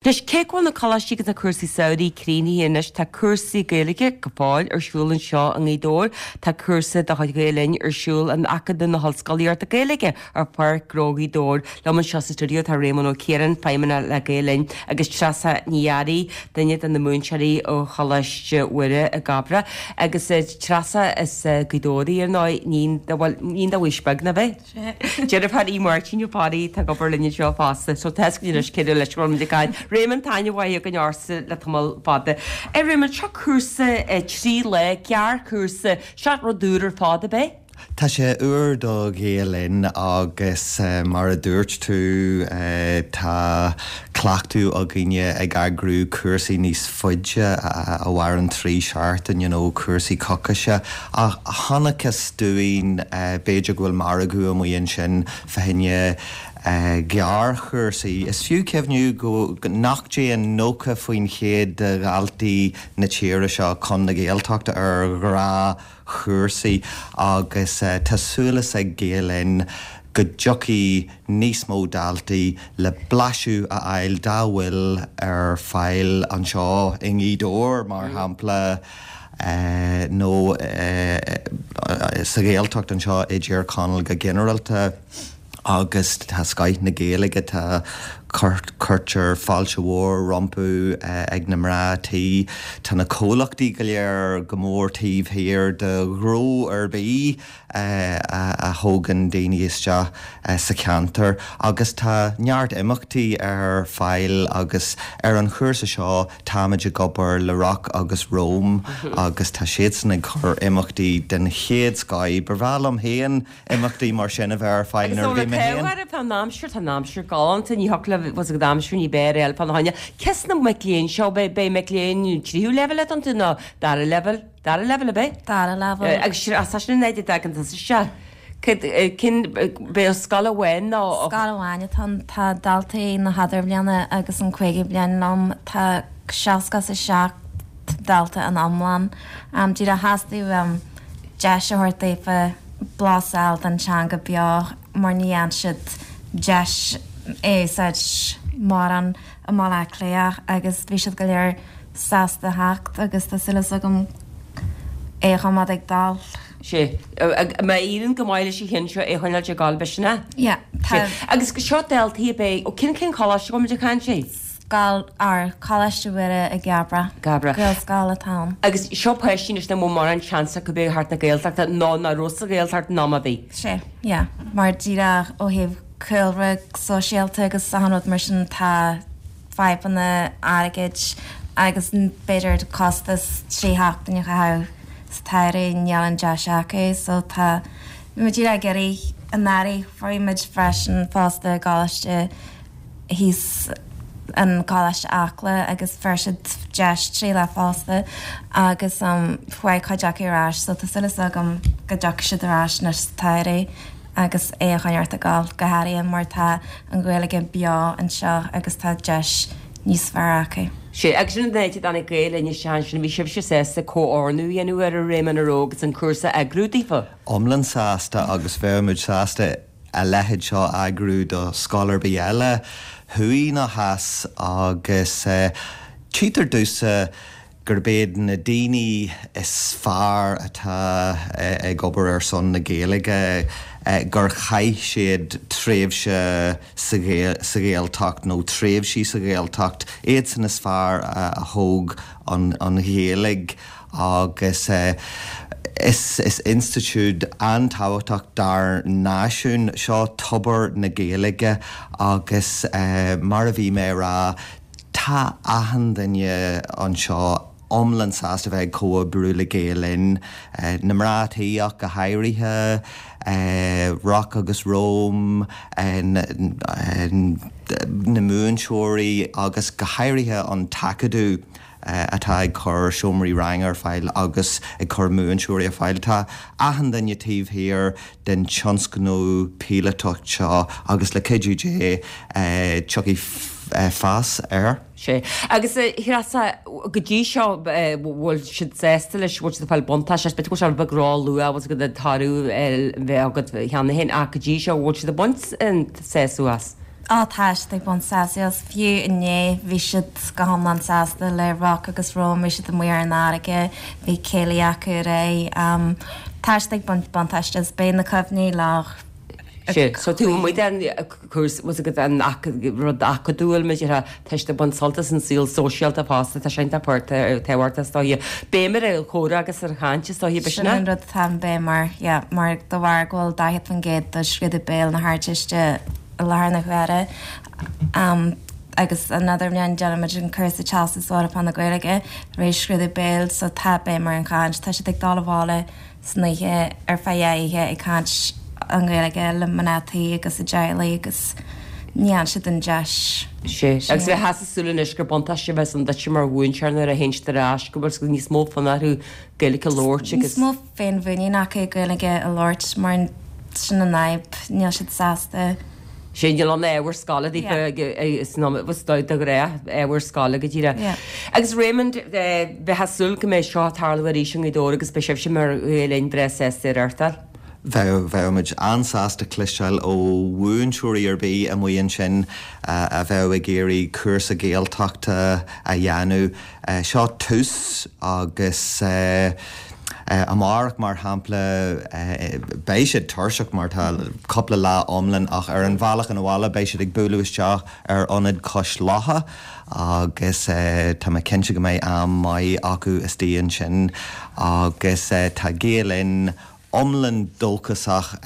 Anois, cé go bhfuil na coláistí agus na cúrsaí samhraidh críochnaithe anois, tá cúrsaí Gaeilge go fóill ar siúl anseo i nGaoth Dobhair. Tá cúrsa de chuid Ghael Linn ar siúl in Acadamh na hOllscolaíochta Gaeilge ar Pháirc Ghnó Ghaoth Dobhair. Liom anseo sa stiúideo tá Réamonn Ó Ciaráin, Feidhmeannach le Gael Linn, agus Treasa Ní Fhearraigh, duine de na múinteoirí ó Choláiste Mhuire i gCabrach. Agus Treasa, as Gaoth Dobhair í ar ndóigh, níon do, bhuel, níon do Mhaois Beag, nach ea? Deirfiúr í Máirtín Ó Fearraigh atá ag obair linn anseo fosta. So tá a fhios againn anois cé leis a bhfuil muid ag caint. Réamonn, tá aithne mhaith againn ortsa le tamall fada. A Réamonn, seo cúrsa 3 lá, gearrchúrsa, seo rud úr ar fad, ab é? Tá sé úr do Ghael Linn agus mar a dúirt tú tá cleachtadh againne ag eagrú cúrsaí níos faide a mhaireann 3 seachtain, you know, cúrsaí coicíse. Ach chonacthas dúinn, b'fhéidir go bhfuil margadh amuigh ansin fá choinne gearrchúrsaí. Is fiú cuimhniú go nach dtéann 90% de dhaltaí na tíre seo chun na Gaeltachta ar ghnáthchúrsaí agus tá súil ag Gael Linn go dtiocfaidh níos mó daltaí le blaiseadh a fháil dá bhfuil ar fáil anseo i nGaoth Dobhair, mar shampla, nó sa Ghaeltacht anseo i dTír Chonaill go ginearálta. Agus tá scoith na Gaeilge, tá, cuirtear fáilte mhór rompu ag na mná tí, tá na comhlachtaí go léir go mór taobh thiar de ghnó ar bith a thógann daoine isteach sa cheantar agus tá neart imeachtaí ar fáil agus ar an chúrsa seo táimid ag obair le Rock agus Roam agus tá siadsan ag cur imeachtaí den chéad scoith. Ba bhreá liom féin imeachtaí mar sin a bheith ar fáil nuair a bhí mé féin. Agus tá an aimsir, tá an aimsir galánta, ní thiocfadh le, bhfuil a fhios agat aimsir ní b'fhearr a fháil fána choinne. Cés na mic léinn seo, beidh mic léinn tríú leibhéal iontu nó dara leibhéal? Dara leibhéal ab é? Dara leibhéal. Agus as sin an áit a dtagann tusa isteach. Cad, cén, b'é scoil amháin nó? Scoil amháin atá ann. Tá daltaí na hIdirbhliana agus an cúigiú bliain liom. Tá 67 dalta in iomlán. Díreach theastaigh uaim deis a thabhairt daofa blas a fháil den teanga beo mar ní fhaigheann siad deis é a úsáid mórán i mBaile Átha Cliath agus bhí siad go léir sásta theacht agus tá súil agam é a choimeád ag dul. Sea. Má éiríonn go maith leis an cheann seo é a choinneáilt ag dul, b'shin é? Yeah. Tá. Agus seo daltaí ab é? Ó cén cén choláiste a bhfuil muid ag caint faoi? Scoil, ar, Coláiste Mhuire i gCabrach. gCabrach. Gaelscoil atá ann. Agus seo páistí anois nach bhfuil mórán seans acu bheith thart na Gaeltachta nó nach raibh sa Ghaeltacht in am ar bith. Sea, yeah. Mar díreach ó thaobh cúlra sóisialta agus achan rud mar sin tá fadhbanna airgid agus b'fhéidir costas 3 sheachtain a chaitheamh sa tsamhradh, níl an deis acu so tá muid díreach ag iarraidh anuraidh bhí muid freisin fosta i gcoláiste thíos in Coláiste Acla agus fuair siad deis 3 lá fosta agus chuaigh cuid acu ar ais so tá súil agam go dtiocfaidh siad ar ais anois sa tsamhradh. agus é a choinneáilt ag dul, go háirithe mar tá an Ghaeilge beo anseo agus tá deis níos fearr acu. Sea, agus sin an áit a dtáinig Gael Linn isteach ansin, bhí sibhse sásta comhordú a dhéanamh air a Réamoinn an raibh agus an cúrsa a eagrú daofa? Iomlán sásta agus bheadh muid sásta a leithéid seo a eagrú do scoil ar bith eile, thuaidh nó theas agus tchítear domhsa gurb iad na daoine is fearr atá ag obair ar son na Gaeilge gur chaith siad tréimhse sa Ghaeltacht nó tréimhsí sa Ghaeltacht, iadsan is fearr a thóg an Ghaeilge agus is institiúid an-tábhachtach dár náisiún seo tobar na Gaeilge agus mar a bhí mé a rá, Tá achan duine anseo iomlán sásta bheith ag comhoibriú le Gael Linn, na mná tí ach go háirithe, Rock agus Roam, na múinteoirí agus go háirithe an tAcadamh atá ag cur seomraí ranga ar fáil agus ag cur múinteoirí ar fáil. Tá achan duine taobh thiar den tionscnamh píolótach seo agus le cuidiú Dé tiocfaidh fás air. Sea. Agus a Threasa, go dtí seo bhfuil siad sásta leis, bhfuil siad ag fáil buntáiste as, b'fhéidir go bhfuil sé rud beag ró-luath, bhfuil siad ag toradh a bheith agat cheana féin ach go dtí seo bhfuil siad ag baint an sásamh as? Á tá siad ag baint sásamh as. Fiú inné bhí siad go hiomlán sásta le Rock agus Roam, bhí siad amuigh ar an fharraige, bhí céilí acu ar aghaidh. Tá siad ag baint buntáiste as. Beidh na cuimhní leo. Sea, so taobh amuigh den chúrsa, bhfuil a fhios agat an rud acadúil, mar a déarfá, tá siad ag baint sult as an saol sóisialta fosta, tá sé iontach tábhachtach is dóiche. Béim ar an chomhrá agus ar an chaint is dóiche, b'shin é? Sin an rud atá an béim air, yeah, mar de bharr go bhfuil 40% de scrúdú béil na hArdteiste i láthair na huaire agus another bhliain déanaimid an cúrsa Teastas Eorpach na Gaeilge tar éis scrúdú béil so tá béim ar an chaint, tá siad ag dul abhaile san oíche ar feadh dhá oíche ag caint an Ghaeilge le mná tí agus a dteaghlaigh agus ní fhaigheann siad an deis Sea, agus bheifeá ag súil anois gur buntáiste a bheas ann duitse mar mhúinteoir nuair a théann siad ar ais go bhfuil níos mó fonn orthu Gaeilge a labhairt agus. Níos mó féinmhuinín acu Gaeilge a labhairt mar sin an fhadhb, níl siad sásta. Sea, níl ann ábhar scoile daofa de ghnáth, ábhar scoile go díreach. Agus Raymond, bheifeá ag súil go mbeidh seo ag tarlú arís i nGaoth Dobhair agus beidh sibhse mar Ghael Linn breá sásta é a reáchtáil. Bheadh, bheadh muid an-sásta cloisteáil ó mhúinteoirí ar bith amuigh ansin a bheadh ag iarraidh cúrsa Gaeltachta a dhéanamh. Seo tús agus amárach, mar shampla, beidh siad tuirseach mar tá cúpla lá iomlán ach ar an bhealach abhaile beidh siad ag bualadh isteach ar Ionad Cois Locha agus tá mé cinnte go mbeidh am maith acu istigh ansin agus tá Gael Linn iomlán dóchasach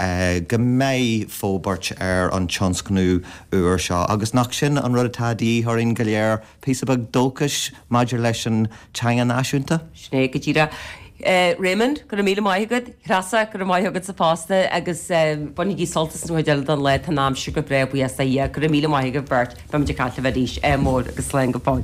go mbeidh forbairt ar an tionscnamh úr seo agus nach sin an rud atá de dhíth orainn go léir, píosa beag dóchais maidir leis an teanga náisiúnta? Sin é go díreach. Raymond, go raibh míle maith agat. Treasa, go raibh maith agatsa fosta agus bainigí sult as an chuid eile den lá, tá an aimsir go breá, buíochas le Dia. Go raibh míle maith agaibh beirt. Beimid ag caint libh arís. Ádh mór agus slán go fóill.